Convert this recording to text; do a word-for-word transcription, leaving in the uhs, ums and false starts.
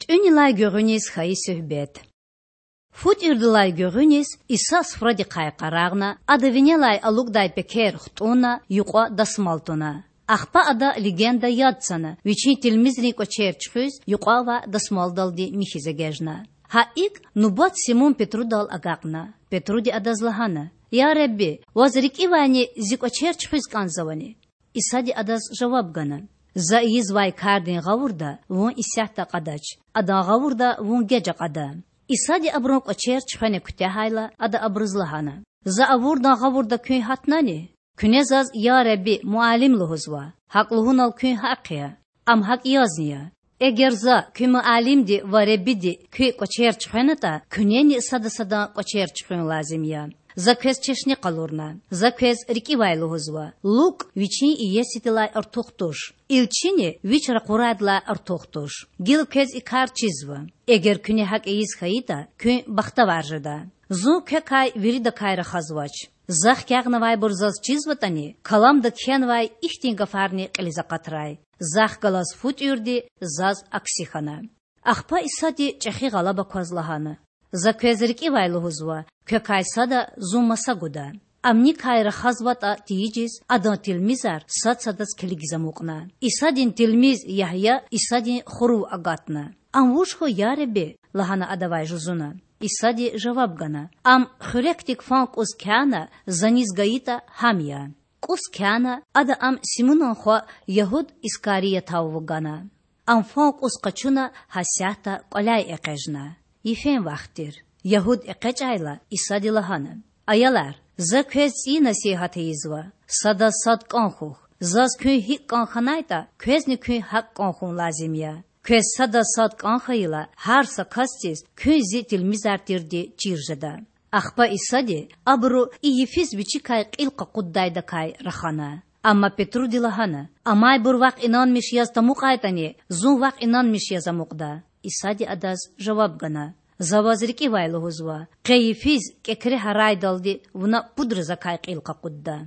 ТӀуьнилай гуьгъуьниз хьайи суьгьбет. Фу тӀуьрдалай гуьгъуьниз Иса суфрадихъай къарагъна, Ада винелай алукӀдай пекер хтӀунна, юкьва дасмал туна. Ахпа Ада легенда яд цана, Вичин тилмизрин кӀвачер чуьхуьз, юкьва авай дасмалдалди михьиз эгечӀна. Гьа икӀ нубат Симун Петрудал агакьна. Петруди Адаз лагьана: Я Худа, Ваз рикӀивайни зи кӀвачер чуьхуьз кӀанзавани? Исади адаз жаваб гана: За ийизвай кардин гъавурда вун исятда акьадач, адан гъавурда вун геж акьада. Исади абурун кӀвачер чуьхвена куьтягьайла, Ада абуруз лагьана: За авурдан гъавурда куьн гьатнани? Куьне Заз Я Худа, Муаллим лугьузва. ГьакӀ лугьунал куьн гьахъ я. Ам гьакӀ язни я. Эгер За, куь Муаллимди ва Худади, куь кӀвачер чуьхвенатӀа, куьнени сада садан кӀвачер чуьхуьн лазим я. За квез чешне къалурна. За квез рикӀивай лугьузва: лукӀ вичин иесидилай артух туш, илчини вич ракъурайдалай артух туш. Гила квез и кар чизва. Эгер куьне гьакӀ ийиз хьайитӀа, куьн бахтавар жеда. Зун квекай виридакай рахазвач. Захъ хкягънавайбур Заз чизватӀани, Каламда кхьенвай ихьтин гафарни кьилиз акъатрай: Захъ галаз фу тӀуьрди Заз акси хьана. Ахпа Исади чӀехи гъалаба кваз лагьана: За квез рикӀивай лугьузва: квекай сада Зун маса гуда. Ам никай рахазватӀа тийижиз, Адан тилмизар сад садаз килигиз амукьна. Исадин тилмиз Ягья Исадин хурув агатна. Ам вуж хьуй, я Худа? лагьана адавай жузуна. Исади жаваб гана: Ам, хуьрекдик фан кӀус кяна, За низ гайитӀа, гьам я. КӀус кяна, Ада ам Симунан хва Ягьуд Искариятав вугана. Ам фан кӀус къачуна, гьасятда кӀваляй экъечӀна. Йифен вахт тир. Ягьуд экъечӀайла, Исади лагьана: Аялар, За квез цӀийи насигьат ийизва. Садаз сад кӀан хьухь. Заз куьн гьикӀ кӀан хьанайтӀа, квезни куьн гьакӀ кӀан хьун лазим я. Квез садаз сад кӀан хьайила, гьар са касдиз куьн Зи тилмизар тирди чир жеда. Ахпа Исади абуру и йифиз Вичикай кьил къакъуддайдакай рахана. Амма Петруди лагьана: Амайбур вахъ инанмиш яз тамукьайтӀани, Зун вахъ инанмиш яз амукьда. Исади адаз жаваб гана: За ваз рикӀивай лугьузва: къе йифиз кӀекре гьарайдалди вуна пудра Закай кьил къакъудда.